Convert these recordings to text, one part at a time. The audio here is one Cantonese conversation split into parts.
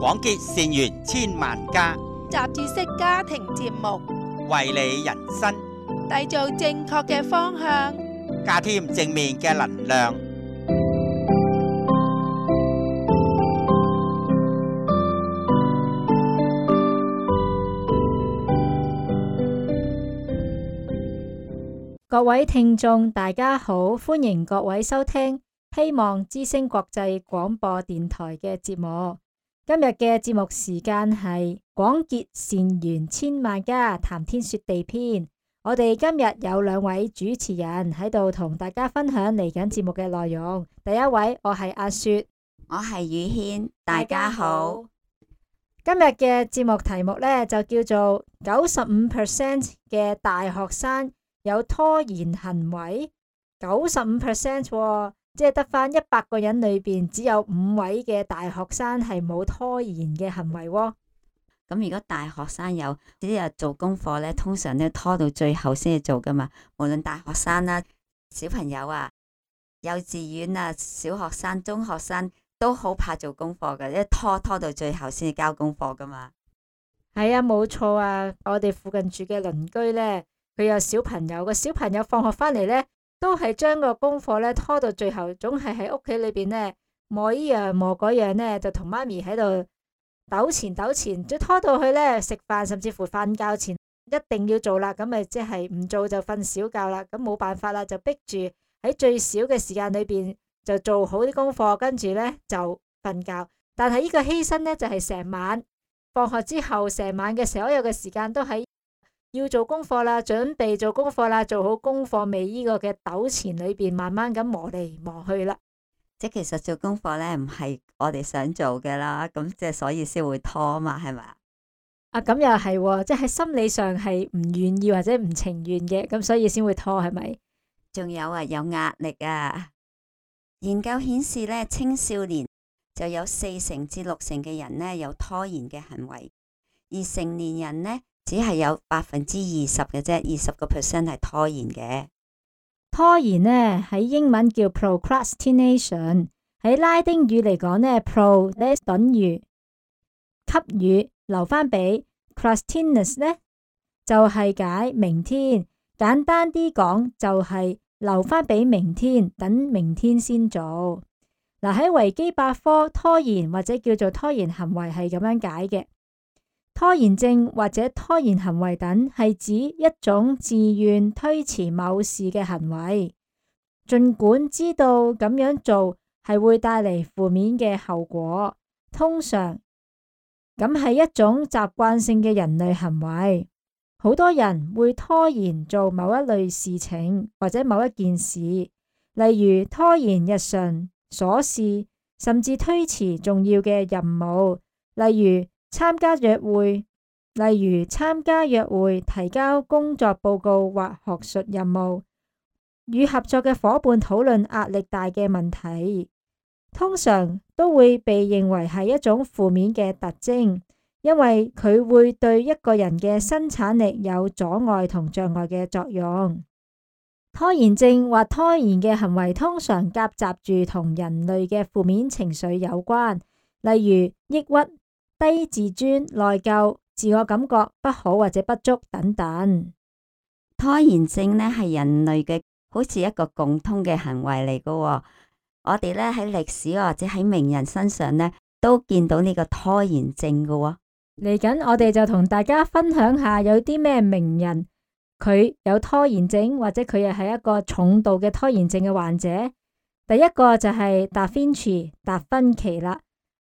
廣結善緣千萬家，雜誌式家庭節目，為你人生締造正確嘅方向，加添正面嘅能量。各位聽眾大家好，歡迎各位收聽希望之聲國際廣播電台嘅節目。今日嘅節目時間係廣結善緣千萬家，談天說地篇。我哋今日有兩位主持人喺度同大家分享嚟緊節目嘅內容。第一位我係阿雪，我係宇軒，大家好。今日嘅節目題目呢，就叫做95% 嘅大學生有拖延行為，95%喎，即係得返100個人裏邊只有5位嘅大學生係冇拖延嘅行為喎。咁如果大學生有啲日做功課咧，通常都拖到最後先至做噶嘛。無論大學生啦、小朋友啊、幼稚園啊、小學生、中學生都好怕做功課嘅，一拖到最後先至交功課噶嘛。係啊，冇錯啊，我哋附近住嘅鄰居呢，佢有小朋友，個小朋友放學返嚟呢，都係將個功課呢拖到最後，總係喺屋企裏邊呢磨依樣磨嗰樣呢，就同媽咪喺度糾纏，再拖到去呢食飯，甚至乎瞓覺前一定要做啦，咁咪即係唔做就瞓小覺啦，咁冇辦法啦，就逼住喺最少嘅時間裏邊就做好啲功課，跟住呢就瞓覺。但係呢個犧牲呢，就係成晚放學之後，成晚嘅所有嘅時間都喺要做功課啦，準備做功課啦，做好功課未呢個嘅糾纏裏邊，慢慢咁磨嚟磨去啦。即係其實做功課咧唔係我哋想做嘅啦，咁即係所以先會拖嘛，係咪啊？啊，咁又係喎，即係喺心理上係唔願意或者唔情願嘅，咁所以先會拖，係咪？仲有啊，有壓力啊。研究顯示咧，青少年就有40%至60%嘅人呢有拖延嘅行為，而成年人呢，只係有20%嘅啫，20% 係拖延嘅。拖延呢喺英文叫 procrastination， 喺拉丁語嚟講呢 pro 呢等於給予留返俾 crastinus 呢就係解明天，簡單啲講就係留返俾明天，等明天先做。嗱，喺維基百科，拖延或者叫做拖延行為係咁樣解嘅。拖延症或者拖延行為等係指一種自願推遲某事嘅行為，儘管知道咁樣做係會帶嚟負面嘅後果，通常咁係一種習慣性嘅人類行為。好多人會拖延做某一類事情或者某一件事，例如拖延日常瑣事，甚至推遲重要嘅任務，例如參加約會、提交工作報告或學術任務，與合作嘅夥伴討論壓力大嘅問題，通常都會被認為係一種負面嘅特徵，因為佢會對一個人嘅生產力有阻礙同障礙嘅作用。拖延症或拖延嘅行為通常夾雜住同人類嘅負面情緒有關，例如抑鬱、低自尊、內疚、自我感覺不好或者不足等等。拖延症呢係人類嘅好似一個共通嘅行為嚟噶。我哋呢喺歷史或者喺名人身上呢都見到呢個拖延症噶。嚟緊我哋就同大家分享下有啲咩名人佢有拖延症，或者佢又係一個重度嘅拖延症嘅患者。第一個就係達芬奇啦。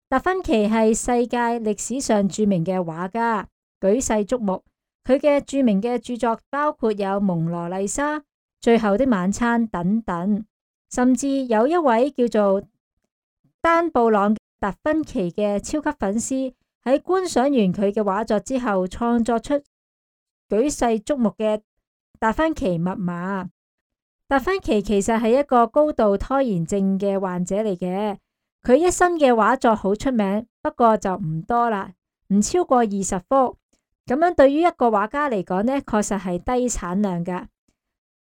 達芬奇係世界歷史上著名嘅畫家，舉世矚目。佢嘅著名嘅著作包括有《蒙羅麗莎》、《最後的晚餐》等等，甚至有一位叫做丹布朗達芬奇嘅超級粉絲，喺觀賞完佢嘅畫作之後，創作出舉世矚目嘅達芬奇密碼。達芬奇其實係一個高度拖延症嘅患者嚟嘅。佢一生嘅畫作好出名，不過就唔多啦，唔超過20幅。咁樣對於一個畫家嚟講呢，確實係低產量噶。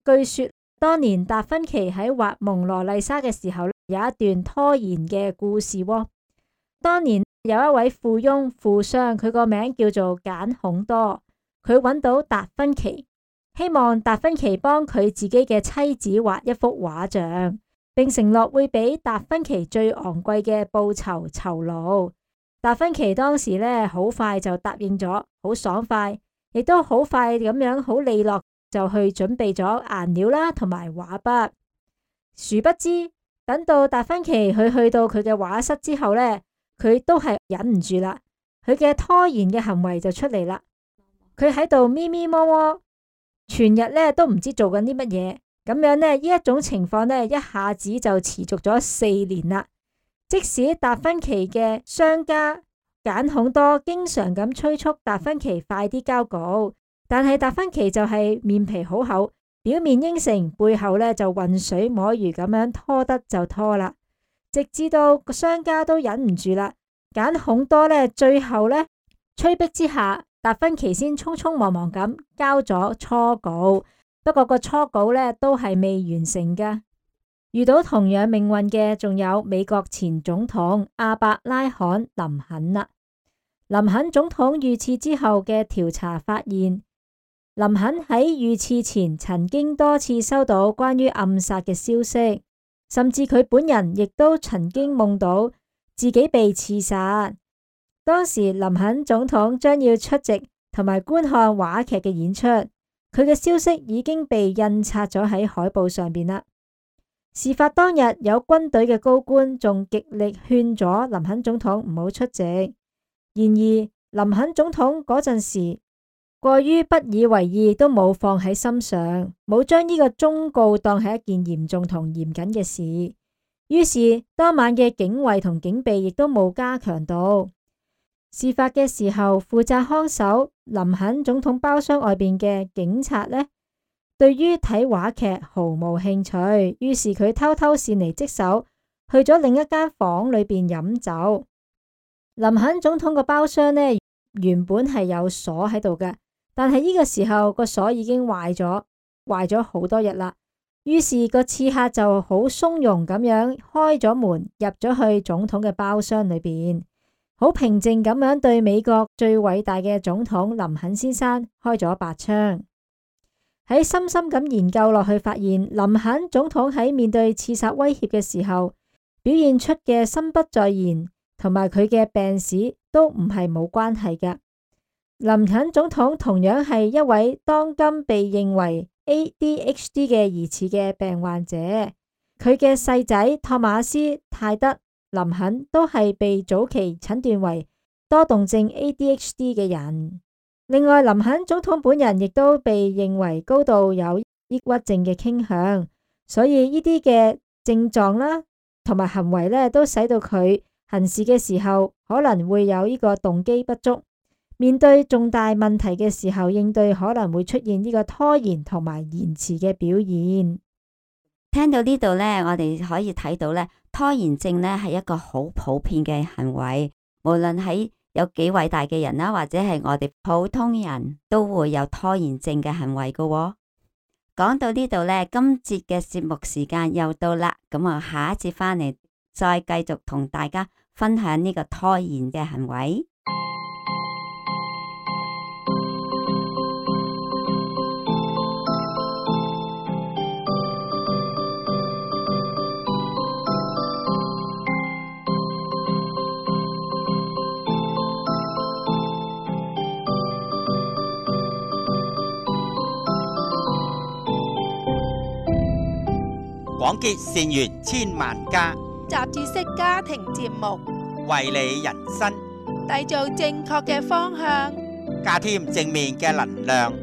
據說當年達芬奇喺畫蒙羅麗莎嘅時候，有一段拖延嘅故事喎。當年有一位富翁富商，佢個名叫做簡孔多，佢揾到達芬奇，希望達芬奇幫佢自己嘅妻子畫一幅畫像，並承諾會俾達芬奇最昂貴嘅報酬酬勞。達芬奇當時呢，好快就答應咗，好爽快，亦都好快咁樣好利落就去準備咗顏料啦同埋畫筆。殊不知等到達芬奇去到佢嘅畫室之後呢，佢都係忍唔住啦，佢嘅拖延嘅行為就出嚟啦。佢喺度咪咪摸摸，全日呢都唔知做緊啲乜嘢。咁樣呢，呢一種情況呢，一下子就持續咗4年啦。即使達芬奇嘅商家簡孔多經常咁催促達芬奇快啲交稿，但係達芬奇就係面皮好厚，表面應承，背後呢就渾水摸魚咁樣拖得就拖啦。直至到個商家都忍唔住啦，簡孔多呢最後呢催逼之下，達芬奇先匆匆忙忙咁交咗初稿。不過個初稿呢都係未完成噶。遇到同樣命運嘅仲有美國前總統亞伯拉罕林肯啦。林肯總統遇刺之後嘅調查發現，林肯喺遇刺前曾經多次收到關於暗殺嘅消息，甚至佢本人亦都曾經夢到自己被刺殺。當時林肯總統將要出席同埋觀看話劇嘅演出，佢嘅消息已經被印刷咗喺海報上邊啦。事發當日，有軍隊嘅高官仲極力勸咗林肯總統唔好出席。然而，林肯總統嗰陣時過於不以為意，都冇放喺心上，冇將呢個忠告當係一件嚴重同嚴謹嘅事。於是當晚嘅警衛同警備亦都冇加強到。事發嘅時候，負責看守林肯總統包廂外邊嘅警察呢，對於睇話劇毫無興趣，於是佢偷偷擅離職守，去咗另一間房裏邊飲酒。林肯總統個包廂呢，原本係有鎖喺度嘅，但係呢個時候個鎖已經壞咗好多日啦。於是個刺客就好鬆容咁樣開咗門，入咗去總統嘅包廂裏邊，好平靜咁樣對美國最偉大嘅總統林肯先生開咗白槍。喺深深咁研究落去，發現林肯總統喺面對刺殺威脅嘅時候，表現出嘅心不在焉同埋佢嘅病史都唔係冇關係嘅。林肯總統同樣係一位當今被認為 ADHD 嘅疑似嘅病患者，佢嘅細仔托馬斯泰德林肯都係被早期診斷為多動症 ADHD 嘅人。另外，林肯總統本人亦都被認為高度有抑鬱症嘅傾向，所以呢啲嘅症狀啦，同埋行為呢，都使到佢行事嘅時候可能會有呢個動機不足，面對重大問題嘅時候應對可能會出現呢個拖延同埋延遲嘅表現。聽到呢度呢，我哋可以睇到呢，拖延症呢係一個好普遍嘅行為，無論喺有幾偉大嘅人啦，或者係我哋普通人都會有拖延症嘅行為噶喎。講到呢度呢，今節嘅節目時間又到啦，咁我下一節返嚟再繼續同大家分享呢個拖延嘅行為。廣結善緣千萬家，雜誌式家庭節目，為你人生締造正確嘅方向，加添正面嘅能量。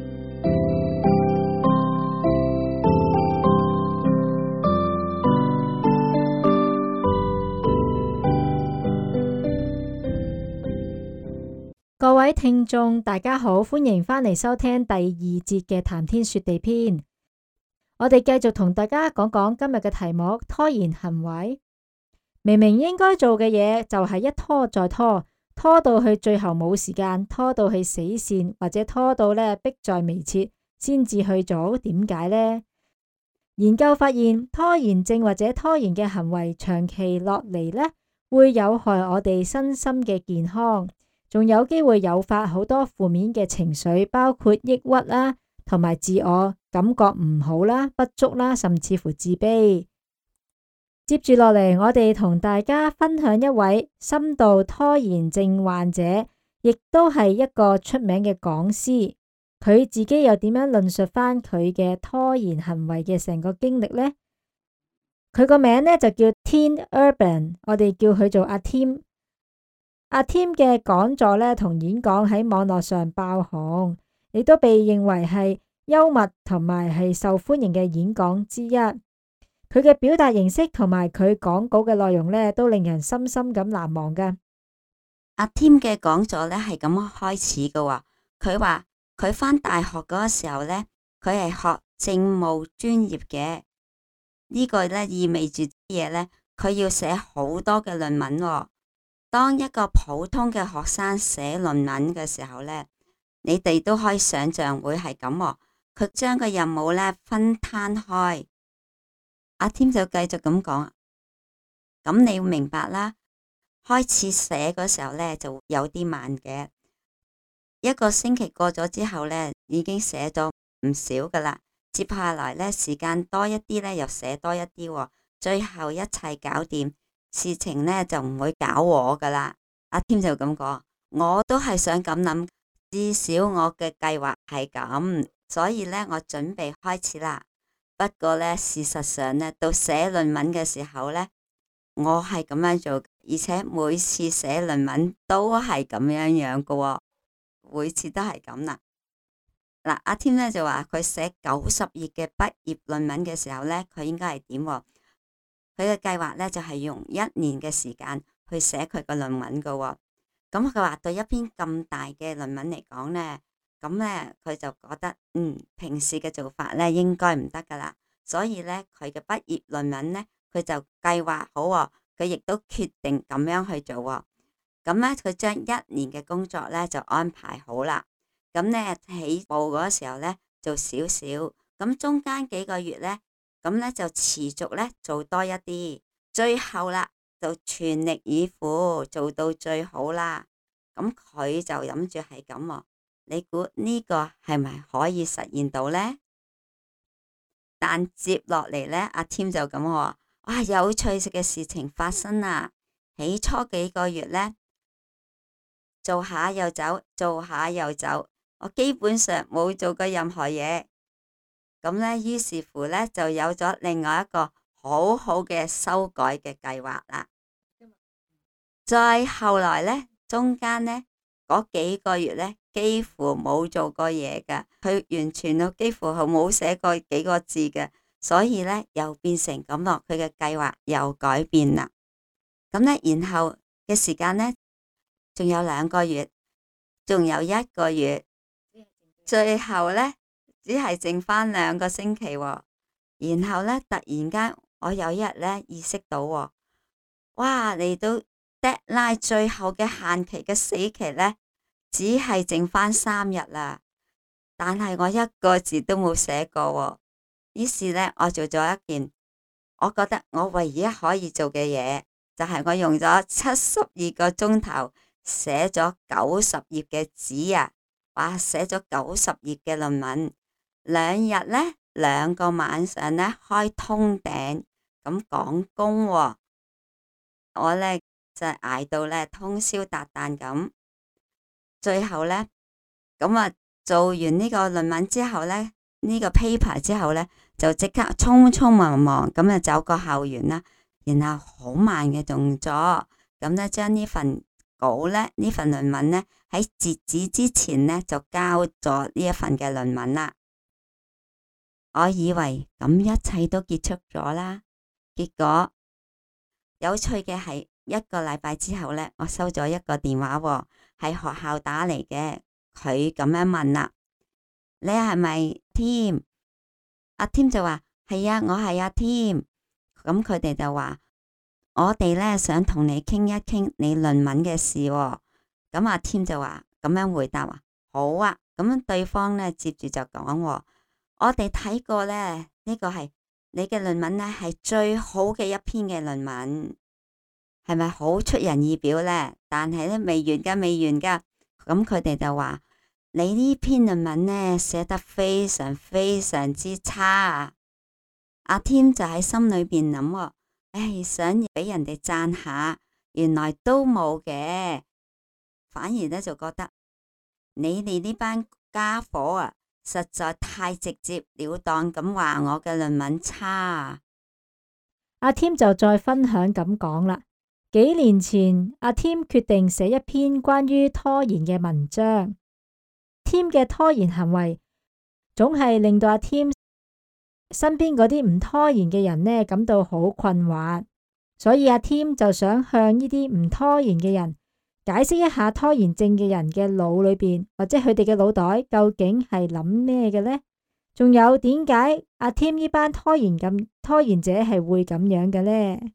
各位聽眾大家好，歡迎返嚟收聽第2節嘅談天說地篇。我哋繼續同大家講講今日嘅題目：拖延行為。明明應該做嘅嘢就係一拖再拖，拖到去最後冇時間，拖到去死線，或者拖到呢迫在眉睫先至去做。點解呢？研究發現，拖延症或者拖延嘅行為長期落嚟呢，會有害我哋身心嘅健康，仲有機會誘發好多負面嘅情緒，包括抑鬱啦，同埋自我感覺唔好啦、不足啦，甚至乎自卑。接住落嚟，我哋同大家分享一位深度拖延症患者，亦都係一個出名嘅講師。佢自己又點樣論述翻佢嘅拖延行為嘅成個經歷呢？佢個名呢就叫 Tim Urban， 我哋叫佢做阿 Tim。阿 Tim 嘅講座呢同演講喺網絡上爆紅，亦都被認為係幽默同埋係受歡迎嘅演講之一。佢嘅表達形式同埋佢講稿嘅內容呢，都令人深深咁難忘噶。阿 Tim 嘅講座呢係咁開始嘅喎，佢話佢返大學嗰個時候呢，佢係學政務專業嘅，呢個呢意味住啲嘢呢，佢要寫好多嘅論文喎。當一個普通嘅學生寫論文嘅時候呢，你哋都可以想象會係咁喎。佢將個任務呢分攤開。阿 Tim 就繼續咁講，咁你要明白啦。開始寫嗰時候呢，就有啲慢嘅，一個星期過咗之後呢，已經寫咗唔少噶啦。接下來呢，時間多一啲呢，又寫多一啲喎，最後一切搞掂，事情呢就唔會搞我噶啦。阿 Tim 就咁講，我都係想咁諗，至少我嘅計劃係咁，所以呢，我準備開始啦。不過呢，事實上呢，到寫論文嘅時候呢，我係咁樣做，而且每次寫論文都係咁樣樣嘅喎，每次都係咁啦。嗱，阿 Tim 呢就話佢寫90頁嘅畢業論文嘅時候呢，佢應該係點？佢嘅計劃呢就係用1年嘅時間去寫佢個論文嘅喎。咁佢話對一篇咁大嘅論文嚟講呢，咁呢，佢就覺得平時嘅做法呢應該唔得噶啦，所以呢，佢嘅畢業論文呢，佢就計劃好喎，佢亦都決定咁樣去做喎。咁呢，佢將1年嘅工作呢就安排好啦。咁呢，起步嗰時候呢，做少少，咁中間幾個月呢，咁呢就持續呢做多一啲，最後啦就全力以赴做到最好啦。咁佢就諗住係咁喎。你估呢個係咪可以實現到呢？但接落嚟呢，阿 Tim 就咁話，哇，有趣嘅事情發生啦！起初幾個月呢，做下又走，做下又走，我基本上冇做過任何嘢。咁呢，於是乎呢，就有咗另外一個好好嘅修改嘅計劃啦。再後來呢，中間呢，嗰幾個月呢，幾乎冇做過嘢噶，佢完全都幾乎係冇寫過幾個字嘅，所以呢，又變成咁落，佢嘅計劃又改變啦。咁呢，然後嘅時間呢，仲有2個月，仲有1個月，最後呢，只係剩翻2個星期喎。然後呢，突然間我有一日呢，意識到喎，哇，嚟到 deadline 最後嘅限期嘅死期呢，只係剩翻3日啦，但係我1個字都冇寫過喎。於是呢，我做咗一件我覺得我唯一可以做嘅嘢，就係我用咗72個鐘頭寫咗90頁嘅紙啊！哇，寫咗90頁嘅論文，2日呢，2個晚上呢，開通頂咁講功喎。我呢，就捱到呢，通宵達旦咁。最後呢，咁啊做完呢個論文之後呢，呢個 paper 之後呢，就即刻匆匆忙忙咁就走過校園啦，然後好慢嘅動作，咁呢，將呢份稿呢，呢份論文呢，喺截止之前呢，就交咗呢一份嘅論文啦。我以為咁一切都結束咗啦，結果有趣嘅係1個禮拜之後呢，我收咗一個電話喎，係學校打嚟嘅。佢咁樣問啦，你係咪 Tim？ 阿 Tim 就話係啊，我係阿 Tim。咁佢哋就話我哋呢，想同你傾一傾你論文嘅事喎。咁阿 Tim 就話咁樣回答話好啊。咁對方呢，接住就講我哋睇過呢，呢個係你嘅論文呢，係最好嘅一篇嘅論文。係咪好出人意表呢？但係咧未完㗎，未完㗎。咁佢哋就話：你呢篇論文呢寫得非常非常之差啊！阿添就喺心裏邊諗，想俾人哋讚下，原來都冇嘅，反而咧就覺得你哋呢班家伙啊，實在太直接了當咁話我嘅論文差啊！阿添就再分享咁講啦。幾年前，阿添決定寫一篇關於拖延嘅文章。添嘅拖延行為總係令到阿添身邊嗰啲唔拖延嘅人呢感到好困惑，所以阿添就想向呢啲唔拖延嘅人解釋一下拖延症嘅人嘅腦裏邊或者佢哋嘅腦袋究竟係諗咩嘅呢？仲有點解阿添呢班拖延者係會咁樣嘅呢？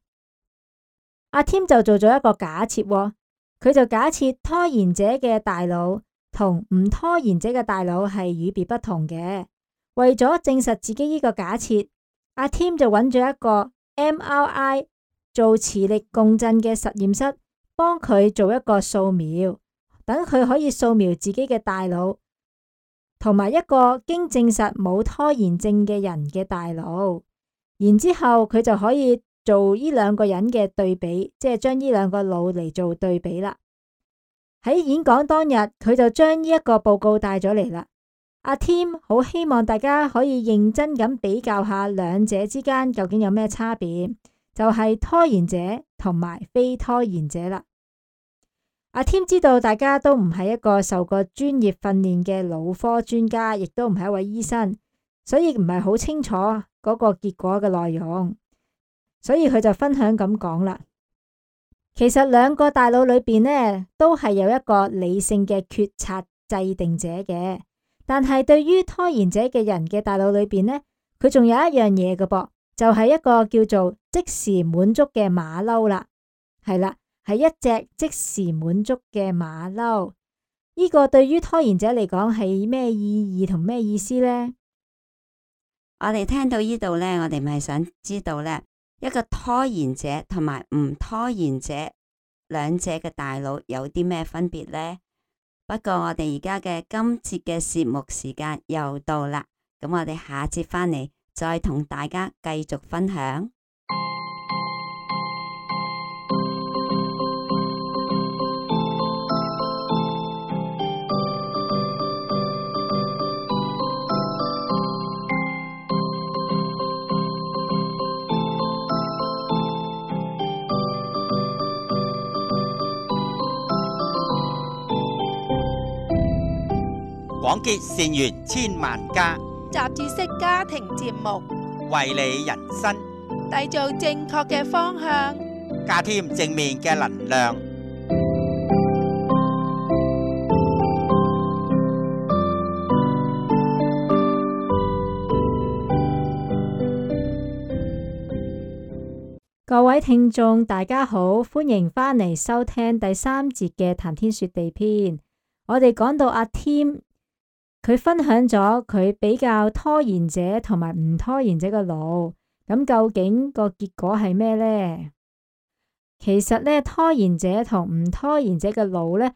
阿添就做咗一個假設，佢就假設拖延者嘅大腦同唔拖延者嘅大腦係與別不同嘅。為咗證實自己呢個假設，阿添就揾咗一個 MRI 做磁力共振嘅實驗室，幫佢做一個掃描，等佢可以掃描自己嘅大腦同埋一個經證實冇拖延症嘅人嘅大腦，然之後佢就可以做呢兩個人嘅對比，即係將呢兩個腦嚟做對比啦。喺演講當日，佢就將呢一個報告帶咗嚟啦。阿添好希望大家可以認真咁比較下兩者之間究竟有咩差別，就係拖延者同埋非拖延者啦。阿添知道大家都唔係一個受過專業訓練嘅腦科專家，亦都唔係一位醫生，所以唔係好清楚嗰個結果嘅內容，所以佢就分享咁講啦。其實兩個大腦裏邊呢，都係有一個理性嘅決策制定者嘅。但係對於拖延者嘅人嘅大腦裏邊呢，佢仲有一樣嘢嘅噃，就係一個叫做即時滿足嘅馬騮啦。係啦，係一隻即時滿足嘅馬騮。呢個對於拖延者嚟講係咩意義同咩意思呢？我哋聽到呢度呢，我哋咪想知道呢，一個拖延者同埋唔拖延者兩者嘅大腦有啲咩分別呢？不過我哋而家嘅今節嘅節目時間又到啦，咁我哋下節返嚟再同大家繼續分享。廣結善緣千萬家，雜誌式家庭節目，為你人生締造正確嘅方向，加添正面嘅能量。各位聽眾大家好，歡迎返嚟收聽第三節嘅談天說地篇。我哋講到阿添，佢分享咗佢比較拖延者同埋唔拖延者嘅腦，咁究竟個結果係咩呢？其實呢，拖延者同唔拖延者嘅腦呢，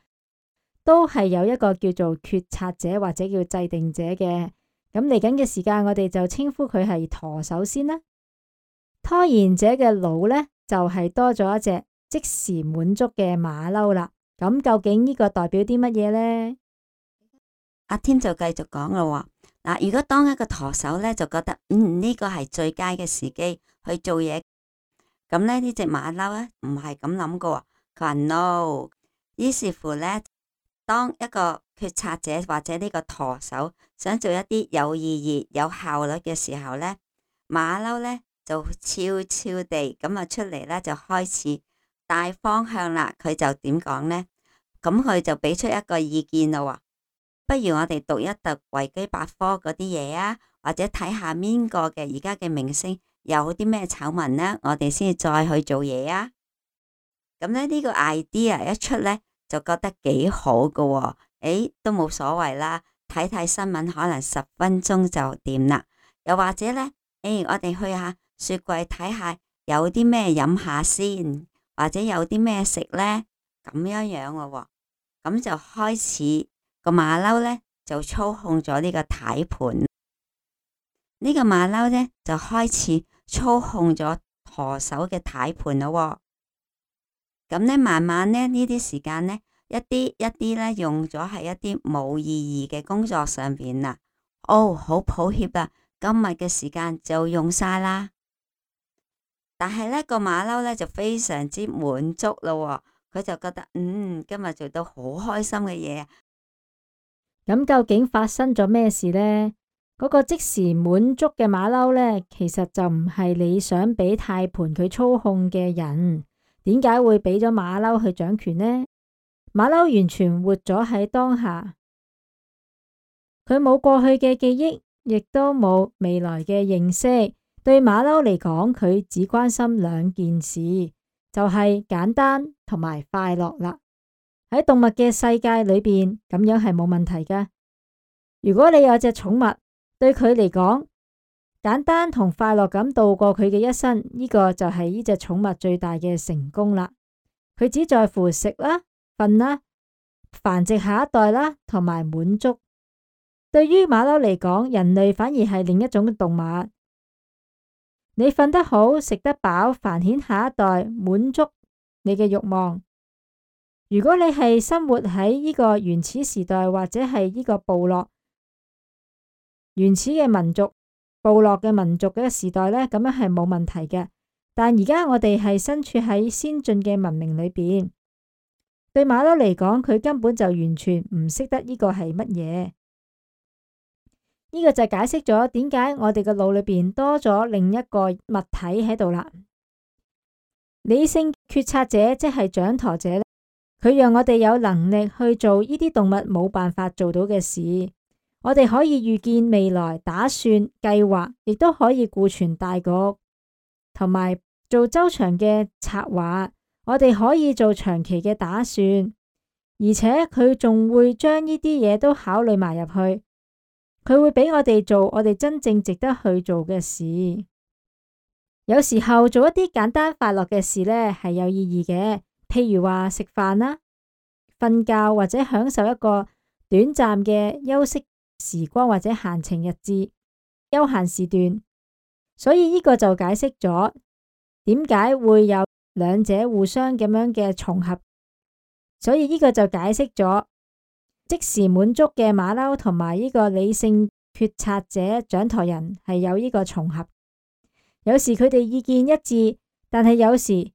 都係有一個叫做決策者或者叫制定者嘅。咁嚟緊嘅時間，我哋就稱呼佢係舵手先啦。拖延者嘅腦呢，就係多咗一隻即時滿足嘅馬騮啦。咁究竟呢個代表啲乜嘢呢？阿添就繼續講啦。嗱，如果當一個舵手呢，就覺得呢個係最佳嘅時機去做嘢，咁呢隻馬騮呢，唔係咁諗噶。佢話 no， 於是乎呢，當一個決策者或者呢個舵手想做一啲有意義、有效率嘅時候呢，馬騮呢，就悄悄地咁啊出嚟呢，就開始大方向啦。佢就點講呢？咁佢就俾出一個意見咯。不如我哋讀一讀維基百科嗰啲嘢啊，或者睇下邊個嘅而家嘅明星有啲咩醜聞呢？我哋先再去做嘢啊。咁呢個 idea 一出呢，就覺得幾好噶。都冇所謂啦，睇睇新聞可能10分鐘就掂啦。又或者呢，我哋去下雪櫃睇下有啲咩飲下先，或者有啲咩食呢？咁樣樣喎，咁就開始個馬騮呢，就操控咗呢個軚盤，呢個馬騮呢，就開始操控咗舵手嘅軚盤咯。咁呢，慢慢呢，呢啲時間呢，一啲呢，用咗喺一啲冇意義嘅工作上邊啦。哦，好抱歉啊，今日嘅時間就用晒啦。但係呢個馬騮呢，就非常之滿足咯，佢就覺得今日做到好開心嘅嘢。咁究竟發生咗咩事呢？嗰個即時滿足嘅馬騮呢，其實就唔係你想俾軚盤佢操控嘅人。點解會俾咗馬騮去掌權呢？馬騮完全活咗喺當下，佢冇過去嘅記憶，亦都冇未來嘅認識。對馬騮嚟講，佢只關心兩件事，就係簡單同埋快樂啦。喺動物嘅世界裏邊，咁樣係冇問題㗎。如果你有隻寵物，對佢嚟講，簡單同快樂咁度過佢嘅一生，呢個就係呢隻寵物最大嘅成功啦。佢只在乎食啦、瞓啦、繁殖下一代啦，同埋滿足。對於馬騮嚟講，人類反而係另一種動物。你瞓得好，食得飽，繁衍下一代，滿足你嘅慾望。如果你係生活喺呢個原始時代，或者係呢個部落原始嘅民族、部落嘅民族嘅時代呢，咁樣係冇問題嘅。但而家我哋係身處喺先進嘅文明裏邊，對馬騮嚟講，佢根本就完全唔識得呢個係乜嘢。呢個就解釋咗點解我哋嘅腦裏邊多咗另一個物體喺度啦。理性決策者即係掌舵者咧，佢讓我哋有能力去做呢啲動物冇辦法做到嘅事。我哋可以預見未來，打算計劃，亦都可以顧全大局，同埋做周詳嘅策劃。我哋可以做長期嘅打算，而且佢仲會將呢啲嘢都考慮埋入去。佢會俾我哋做我哋真正值得去做嘅事。有時候做一啲簡單快樂嘅事呢，係有意義嘅，譬如話食飯啦、瞓覺或者享受一個短暫嘅休息時光或者閒情逸致、休閒時段。所以呢個就解釋咗點解會有兩者互相咁樣嘅重合。所以呢個就解釋咗即時滿足嘅馬騮同埋呢個理性決策者掌舵人係有呢個重合。有時佢哋意見一致，但係有時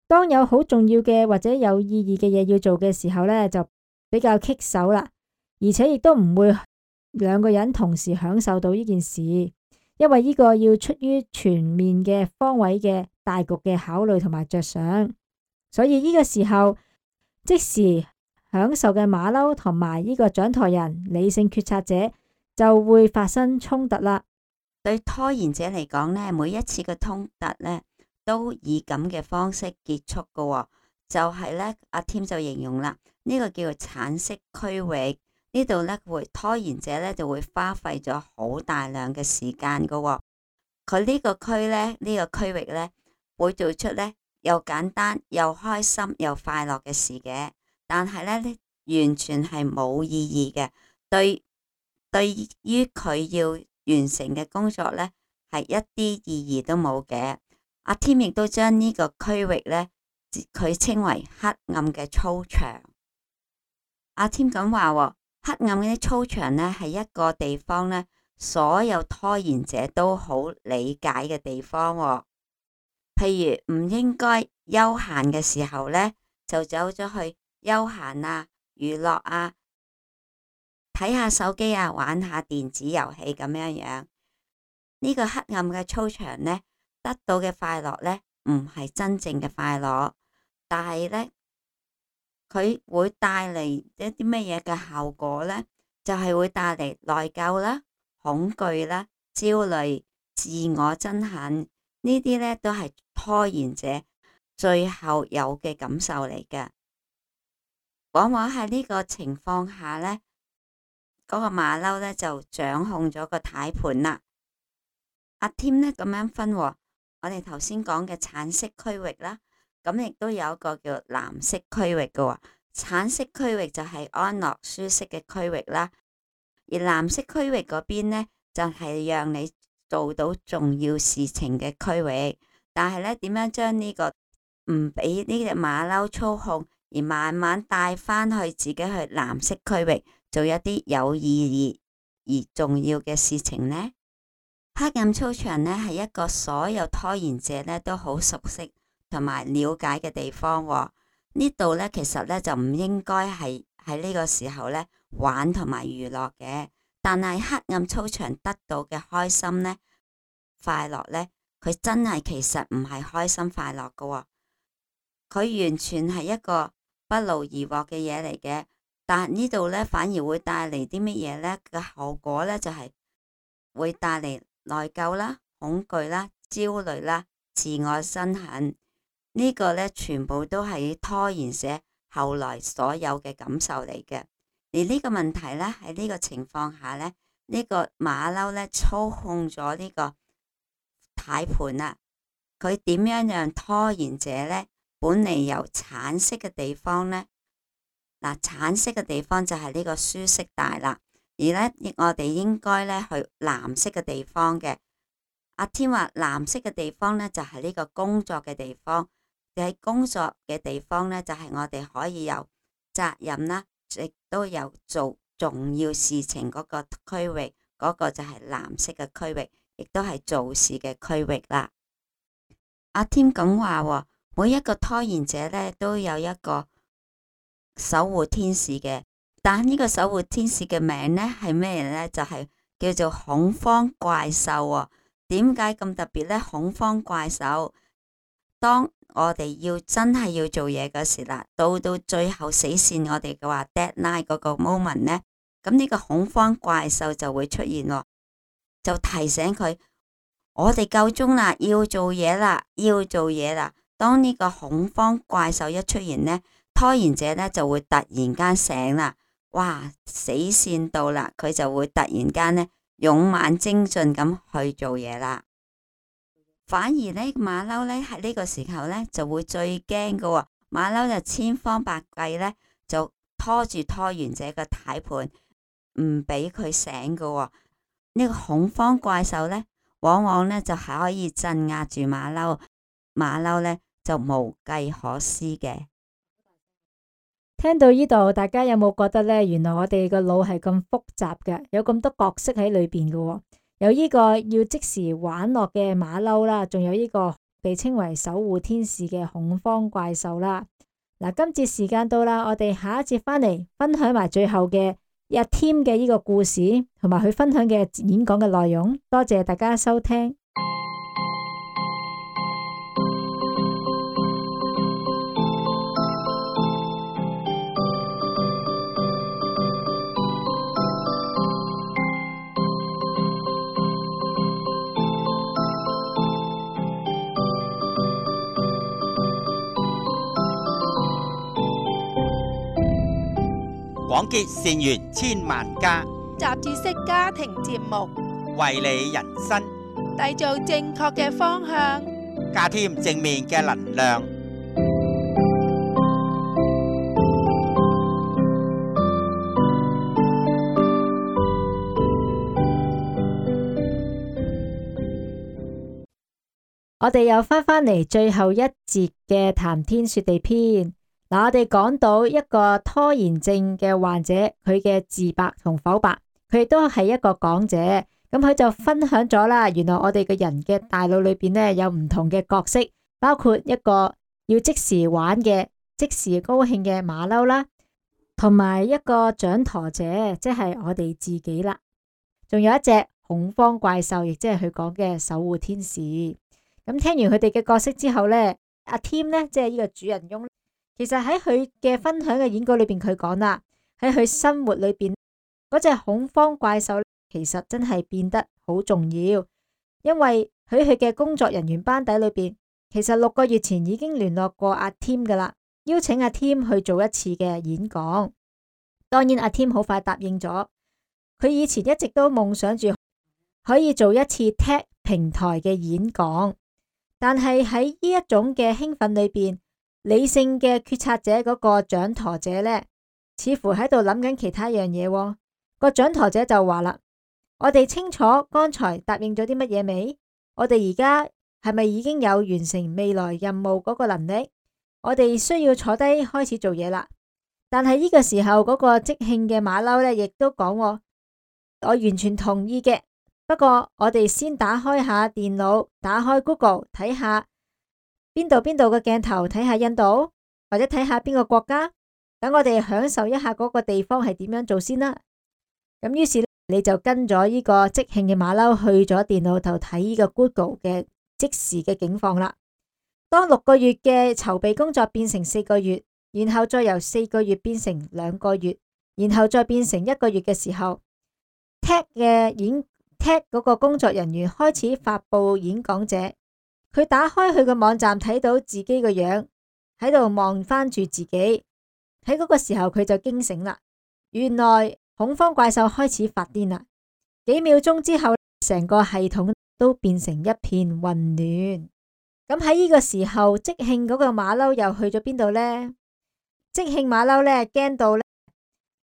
當有好重要嘅或者有意義嘅嘢要做嘅時候呢，就比較棘手啦。而且亦都唔會兩個人同時享受到呢件事，因為呢個要出於全面嘅方位嘅大局嘅考慮同埋着想。所以呢個時候即時享受嘅馬騮同埋呢個掌舵人理性決策者就會發生衝突啦。對拖延者嚟講呢，每一次嘅衝突呢都以咁嘅方式結束㗎。就係呢，阿添就形容啦，呢個叫做橙色區域，呢度呢會拖延者呢就會花費咗好大量嘅時間㗎。佢呢個區呢，呢個區域呢會做出呢又簡單又開心又快樂嘅事嘅。但係呢完全係冇意義嘅，對於佢要完成嘅工作呢，係一啲意義都冇嘅。阿添亦都將呢個區域呢，佢稱為黑暗嘅操場。阿添咁話，黑暗嘅啲操場呢，係一個地方呢，所有拖延者都好理解嘅地方。譬如唔應該休閒嘅時候呢，就走咗去休閒啊、娛樂啊、睇下手機啊、玩下電子遊戲咁樣樣。呢個黑暗嘅操場呢，得到嘅快樂呢，唔係真正嘅快樂，但係呢，佢會帶嚟一啲乜嘢嘅效果呢？就係會帶嚟內疚啦、恐懼啦、焦慮、自我憎恨，呢啲呢都係拖延者最後有嘅感受嚟嘅。往往喺呢個情況下呢，嗰個馬騮呢就掌控咗個軚盤啦。阿添呢咁樣分，我哋頭先講嘅橙色區域啦，咁亦都有一個叫藍色區域嘅喎，橙色區域就係安樂舒適嘅區域啦，而藍色區域嗰邊呢，就係讓你做到重要事情嘅區域。但係呢，點樣將呢個唔俾呢隻馬騮操控，而慢慢帶翻去自己去藍色區域做一啲有意義而重要嘅事情呢？黑暗操場呢，係一個所有拖延者呢都好熟悉同埋了解嘅地方喎。呢度呢，其實呢就唔應該係喺呢個時候呢玩同埋娛樂嘅，但係黑暗操場得到嘅開心呢、快樂呢，佢真係其實唔係開心快樂㗎喎，佢完全係一個不勞而獲嘅嘢嚟嘅。但係呢度呢，反而會帶嚟啲乜嘢呢？嘅後果呢，就係會帶嚟內疚啦、恐懼啦、焦慮啦、自我身痕。呢個呢，全部都係拖延者後來所有嘅感受嚟嘅。而呢個問題呢，喺呢個情況下呢，呢個馬騮呢操控咗呢個軚盤啦。佢點樣讓拖延者呢本嚟由橙色嘅地方呢？嗱，橙色嘅地方就係呢個舒適帶啦。而呢，我哋應該呢去藍色嘅地方嘅。阿添話藍色嘅地方呢，就係呢個工作嘅地方。喺工作嘅地方呢，就係我哋可以有責任啦，亦都有做重要事情嗰個區域，嗰個就係藍色嘅區域，亦都係做事嘅區域啦。阿添咁話，每一個拖延者呢，都有一個守護天使嘅，但呢個守護天使嘅名呢係咩呢？就係叫做恐慌怪獸喎。點解咁特別呢？恐慌怪獸，當我哋真係要做嘢嗰時啦，到最後死線我哋嘅話 deadline 嗰個 moment 呢，咁呢個恐慌怪獸就會出現喎，就提醒佢我哋夠鐘啦，要做嘢啦，要做嘢啦。當呢個恐慌怪獸一出現呢，拖延者呢就會突然間醒啦，哇，死線到啦，佢就會突然間呢勇猛精進咁去做嘢啦。反而呢，馬騮呢喺呢個時候呢就會最驚㗎喎，馬騮就千方百計呢就拖住拖延者嘅軚盤，唔俾佢醒㗎喎。呢個恐慌怪獸呢，往往呢就係可以鎮壓住馬騮，馬騮呢就無計可施嘅。聽到呢度，大家有冇覺得呢？原來我哋個腦係咁複雜嘅，有咁多角色喺裏邊嘅喎。有呢個要即時玩樂嘅馬騮啦，仲有呢個被稱為守護天使嘅恐慌怪獸啦。嗱，今節時間到啦，我哋下一節返嚟分享埋最後嘅阿添嘅呢個故事，同埋佢分享嘅演講嘅內容。多謝大家收聽。廣結善緣千萬家，雜誌式家庭節目，為你人生締造正確嘅方向，加添正面嘅能量。我哋又返嚟最後一節嘅談天說地篇。嗱，我哋講到一個拖延症嘅患者，佢嘅自白同否白，佢亦都係一個講者。咁佢就分享咗啦，原來我哋嘅人嘅大腦裏邊呢，有唔同嘅角色，包括一個要即時玩嘅、即時高興嘅馬騮啦，同埋一個掌舵者，即係我哋自己啦。仲有一隻恐慌怪獸，亦即係佢講嘅守護天使。咁聽完佢哋嘅角色之後呢，阿添呢，即係呢個主人翁。其實喺佢嘅分享嘅演講裏邊，佢講啦，喺佢生活裏邊嗰隻恐慌怪獸，其實真係變得好重要，因為喺佢嘅工作人員班底裏邊，其實6個月前已經聯絡過阿添噶啦，邀請阿添去做一次嘅演講。當然阿添好快答應咗，佢以前一直都夢想住可以做一次 TED 平台嘅演講，但係喺呢一種嘅興奮裏邊，理性嘅決策者嗰個掌舵者呢，似乎喺度諗緊其他樣嘢喎。個掌舵者就話啦：我哋清楚剛才答應咗啲乜嘢未？我哋而家係咪已經有完成未來任務嗰個能力？我哋需要坐低開始做嘢啦。但係呢個時候嗰個即興嘅馬騮呢，亦都講：我完全同意嘅。不過我哋先打開下電腦，打開 Google 睇下邊度嘅鏡頭，睇下印度，或者睇下邊個國家，等我哋享受一下嗰個地方係點樣做先啦。咁於是你就跟咗呢個即興嘅馬騮去咗電腦度睇呢個 Google 嘅即時嘅境況啦。當6個月嘅籌備工作變成4個月，然後再由4個月變成2個月，然後再變成1個月嘅時候，TED 嗰個工作人員開始發佈演講者，佢打開佢個網站，睇到自己個樣喺度望翻住自己。喺嗰個時候佢就驚醒啦，原來恐慌怪獸開始發癲啦。幾秒鐘之後，成個系統都變成一片混亂。咁喺呢個時候，即興嗰個馬騮又去咗邊度呢？即興馬騮呢，驚到呢，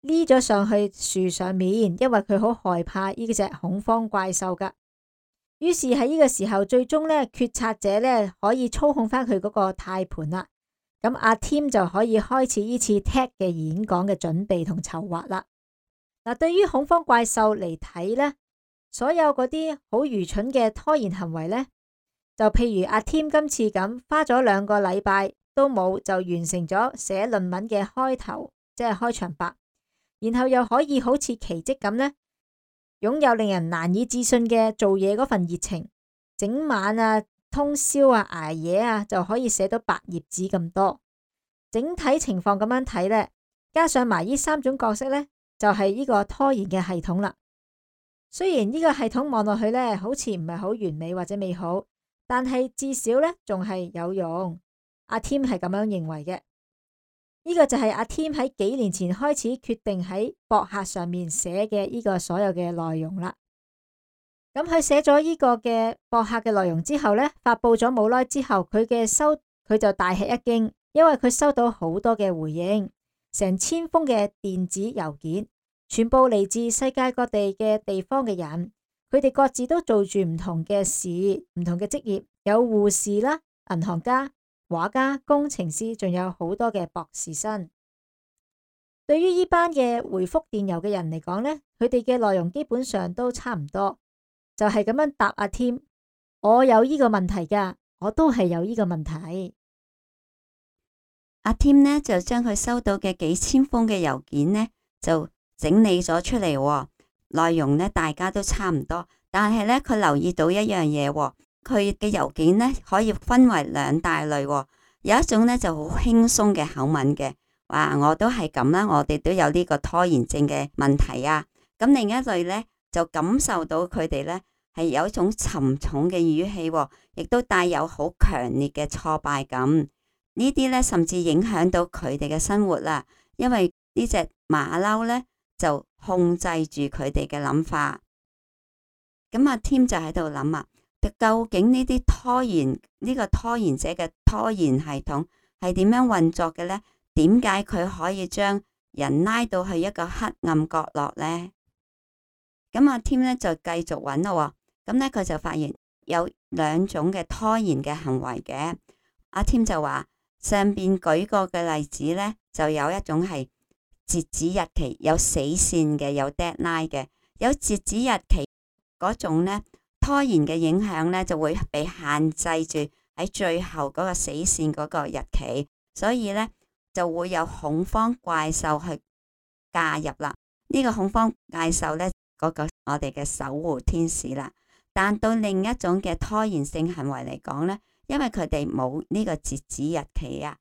匿咗上去樹上面，因為佢好害怕呢隻恐慌怪獸噶。於是喺呢個時候，最終呢，決策者呢可以操控翻佢嗰個軚盤啦。咁阿 Tim 就可以開始呢次 TED 嘅演講嘅準備同籌劃啦。嗱，對於恐慌怪獸嚟睇呢，所有嗰啲好愚蠢嘅拖延行為呢，就譬如阿 Tim 今次咁，花咗2個禮拜都冇就完成咗寫論文嘅開頭，即係開場白，然後又可以好似奇蹟咁呢，擁有令人難以置信嘅做嘢嗰份熱情，整晚啊、通宵啊、捱夜啊，就可以寫到8頁紙咁多。整體情況咁樣睇呢，加上埋呢3種角色呢，就係呢個拖延嘅系統啦。雖然呢個系統望落去呢，好似唔係好完美或者美好，但係至少呢，仲係有用。阿 Tim 係咁樣認為嘅。呢個就係阿 Tim 喺幾年前開始決定喺博客上面寫嘅呢個所有嘅內容啦。咁佢寫咗呢個嘅博客嘅內容之後呢，發佈咗冇耐之後，佢就大吃一驚，因為佢收到好多嘅回應，成1000封嘅電子郵件，全部嚟自世界各地嘅地方嘅人，佢哋各自都做住唔同嘅事，唔同嘅職業，有護士啦、銀行家、畫家、工程師，仲有好多嘅博士生。對於呢班嘅回覆電郵嘅人嚟講呢，佢哋嘅內容基本上都差唔多，就係咁樣答阿 Tim：我有呢個問題噶，我都係有呢個問題。阿 Tim 呢就將佢收到嘅幾千封嘅郵件呢就整理咗出嚟，內容呢大家都差唔多，但係呢，佢留意到一樣嘢，佢嘅郵件呢可以分為2大類，有一種呢就好輕鬆嘅口吻嘅，話我都係咁啦，我哋都有呢個拖延症嘅問題啊。咁另一類呢，就感受到佢哋呢係有一種沉重嘅語氣，亦都帶有好強烈嘅挫敗感。呢啲呢甚至影響到佢哋嘅生活啦，因為呢隻馬騮呢就控制住佢哋嘅諗法。咁阿 Tim 就喺度諗啊，究竟呢啲呢個拖延者嘅拖延系統係點樣運作嘅呢？點解佢可以將人拉到去一個黑暗角落呢？咁阿 Tim 呢就繼續揾咯，咁呢，佢就發現有2種嘅拖延嘅行為嘅。阿 Tim 就話上邊舉過嘅例子呢，就有一種係截止日期有死線嘅，有 deadline 嘅，有截止日期嗰種呢，拖延嘅影響呢就會被限制住喺最後嗰個死線嗰個日期，所以呢，就會有恐慌怪獸去介入啦。呢個恐慌怪獸呢，嗰個我哋嘅守護天使啦。但對另一種嘅拖延性行為嚟講呢，因為佢哋冇呢個截止日期啊，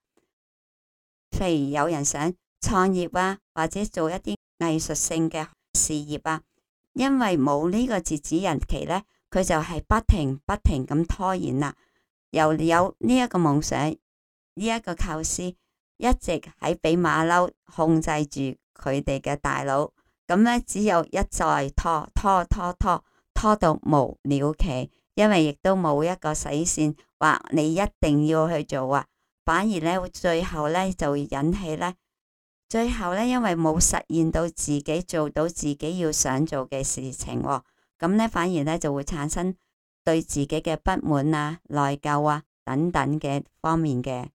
譬如有人想創業啊，或者做一啲藝術性嘅事業啊，因為冇呢個截止日期呢，佢就係不停咁拖延啦。又有呢一個夢想，呢一個構思，一直喺俾馬騮控制住佢哋嘅大腦，咁呢，只有一再拖到無了期，因為亦都冇一個死線話你一定要去做啊，反而呢，最後呢就會引起呢，最後呢，因為冇實現到自己做到自己要想做嘅事情喎，咁呢，反而呢就會產生對自己嘅不滿啊、內疚啊等等嘅方面嘅。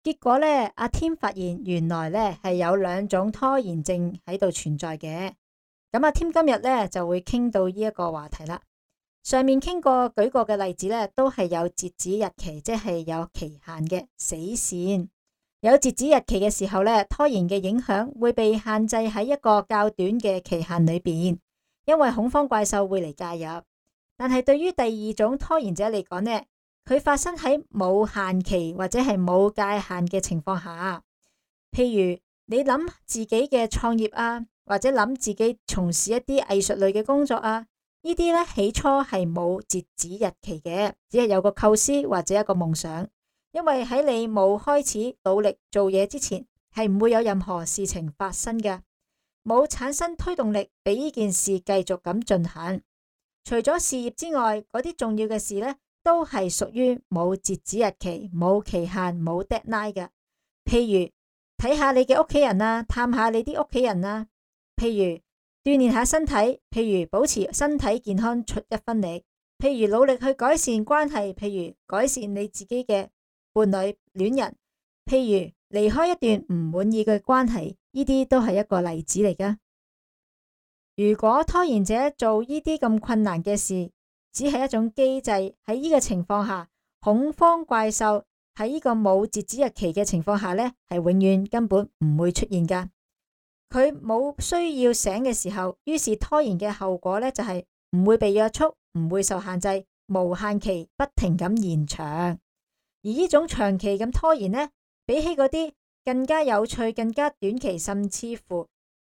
結果呢，阿添發現原來呢係有2種拖延症喺度存在嘅。咁阿添今日呢就會傾到呢一個話題啦。上面傾過舉過嘅例子呢，都係有截止日期，即係有期限嘅死線。有截止日期嘅時候呢，拖延嘅影響會被限制喺一個較短嘅期限裏邊，因為恐慌怪獸會嚟介入。但係對於第2種拖延者嚟講呢，佢發生喺冇限期或者係冇界限嘅情況下，譬如你諗自己嘅創業啊，或者諗自己從事一啲藝術類嘅工作啊，呢啲呢起初係冇截止日期嘅，只係有個構思或者一個夢想。因為喺你冇開始努力做嘢之前，係唔會有任何事情發生嘅，冇產生推動力俾呢件事繼續咁進行。除咗事業之外，嗰啲重要嘅事呢，都係屬於冇截止日期、冇期限、冇 deadline 嘅。譬如睇下你嘅屋企人啊，探下你啲屋企人啊。譬如鍛煉下身體，譬如保持身體健康出一分力。譬如努力去改善關係，譬如改善你自己嘅伴侶、戀人。譬如離開一段唔滿意嘅關係，呢啲都係一個例子嚟噶。如果拖延者做呢啲咁困難嘅事，只係一種機制，喺呢個情況下，恐慌怪獸喺呢個冇截止日期嘅情況下呢，係永遠根本唔會出現噶。佢冇需要醒嘅時候，於是拖延嘅後果呢，就係唔會被約束，唔會受限制，無限期不停咁延長。而呢種長期咁拖延呢，比起嗰啲更加有趣、更加短期，甚至乎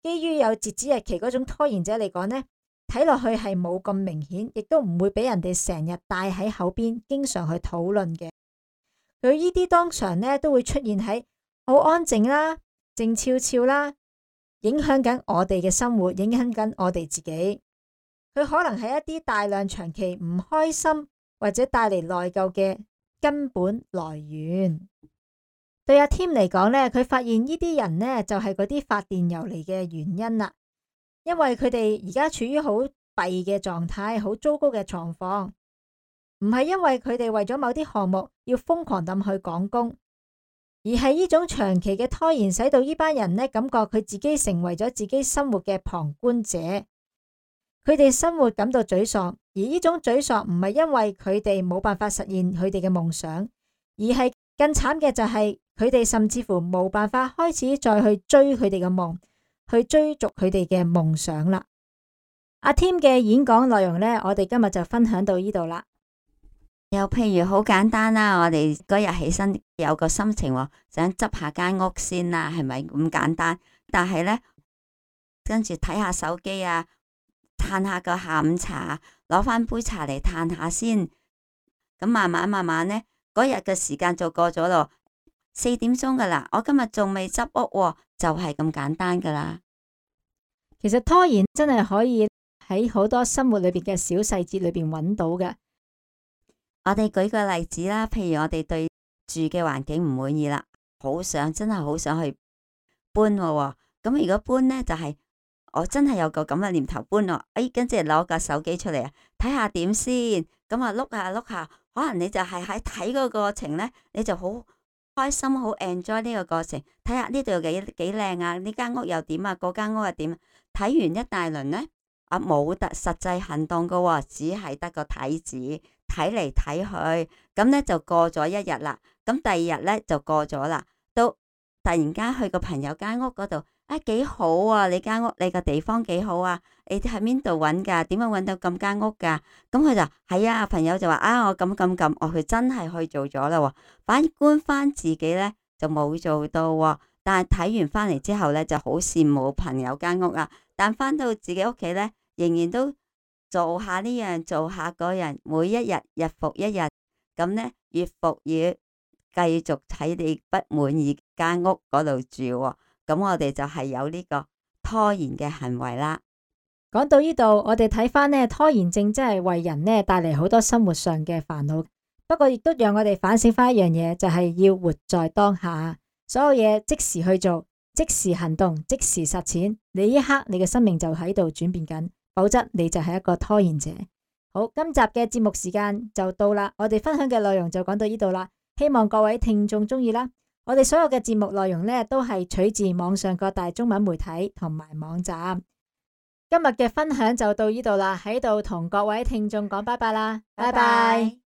基於有截止日期嗰種拖延者嚟講呢，睇落去係冇咁明顯，亦都唔會俾人哋成日帶喺口邊，經常去討論嘅。佢呢啲當場呢都會出現喺好安靜啦、靜悄悄啦，影響緊我哋嘅生活，影響緊我哋自己。佢可能係一啲大量長期唔開心或者帶嚟內疚嘅根本來源。對阿添嚟講呢，佢發現呢啲人呢，就係嗰啲發電郵嚟嘅原因啦。因為佢哋而家處於好弊嘅狀態，好糟糕嘅狀況，唔係因為佢哋為咗某啲項目要瘋狂咁去趕工，而係呢種長期嘅拖延使到呢班人呢，感覺佢自己成為咗自己生活嘅旁觀者，佢哋生活感到沮喪，而呢種沮喪唔係因為佢哋冇辦法實現佢哋嘅夢想，而係更慘嘅就係佢哋甚至乎冇辦法開始再去追佢哋嘅夢，去追逐佢哋嘅夢想啦。阿添嘅演講內容呢，我哋今日就分享到呢度啦。又譬如好簡單啦，我哋嗰日起身有個心情想執下間屋先啦，係咪咁簡單？但係呢，跟住睇下手機啊，嘆下個下午茶，攞翻杯茶嚟嘆下先。咁慢慢呢，嗰日嘅時間就過咗咯，4點鐘噶啦，我今日仲未執屋，就係咁簡單噶啦。其實拖延真係可以喺好多生活裏邊嘅小細節裏邊揾到嘅。我哋舉個例子啦，譬如我哋對住嘅環境唔滿意啦，真係好想去搬喎。咁如果搬呢，就係我真係有個咁嘅念頭搬喎，跟住攞個手機出嚟啊，睇下點先。咁啊碌下，可能你就係喺睇個過程呢，你就好開心，好 enjoy 呢個過程。睇下呢度幾靚啊，呢間屋又點啊，嗰間屋又點。睇完一大輪呢，冇實際行動噶喎，只係得個睇字，睇嚟睇去，咁呢就過咗一日啦。咁第二日呢就過咗啦，到突然間去個朋友間屋嗰度，幾好啊！你間屋，你個地方幾好啊？你喺邊度揾噶？點樣揾到咁間屋噶？咁佢就係啊，朋友就話我咁，佢真係去做咗啦。反觀翻自己呢，就冇做到，但係睇完翻嚟之後呢，就好羨慕朋友間屋啊。但翻到自己屋企呢，仍然都做下呢樣，做下嗰樣，每一日日復一日，咁呢，月復月繼續喺你不滿意間屋嗰度住，咁我哋就係有呢個拖延嘅行為啦。講到呢度，我哋睇翻呢，拖延症真係為人呢帶嚟好多生活上嘅煩惱。不過亦都讓我哋反省翻一樣嘢，就係要活在當下，所有嘢即時去做，即時行動，即時實踐。你呢一刻你嘅生命就喺度轉變緊，否則你就係一個拖延者。好，今集嘅節目時間就到啦，我哋分享嘅內容就講到呢度啦，希望各位聽眾中意啦。我哋所有嘅節目內容呢，都係取自網上各大中文媒體同埋網站。今日嘅分享就到呢度啦，喺度同各位聽眾講拜拜啦，拜拜。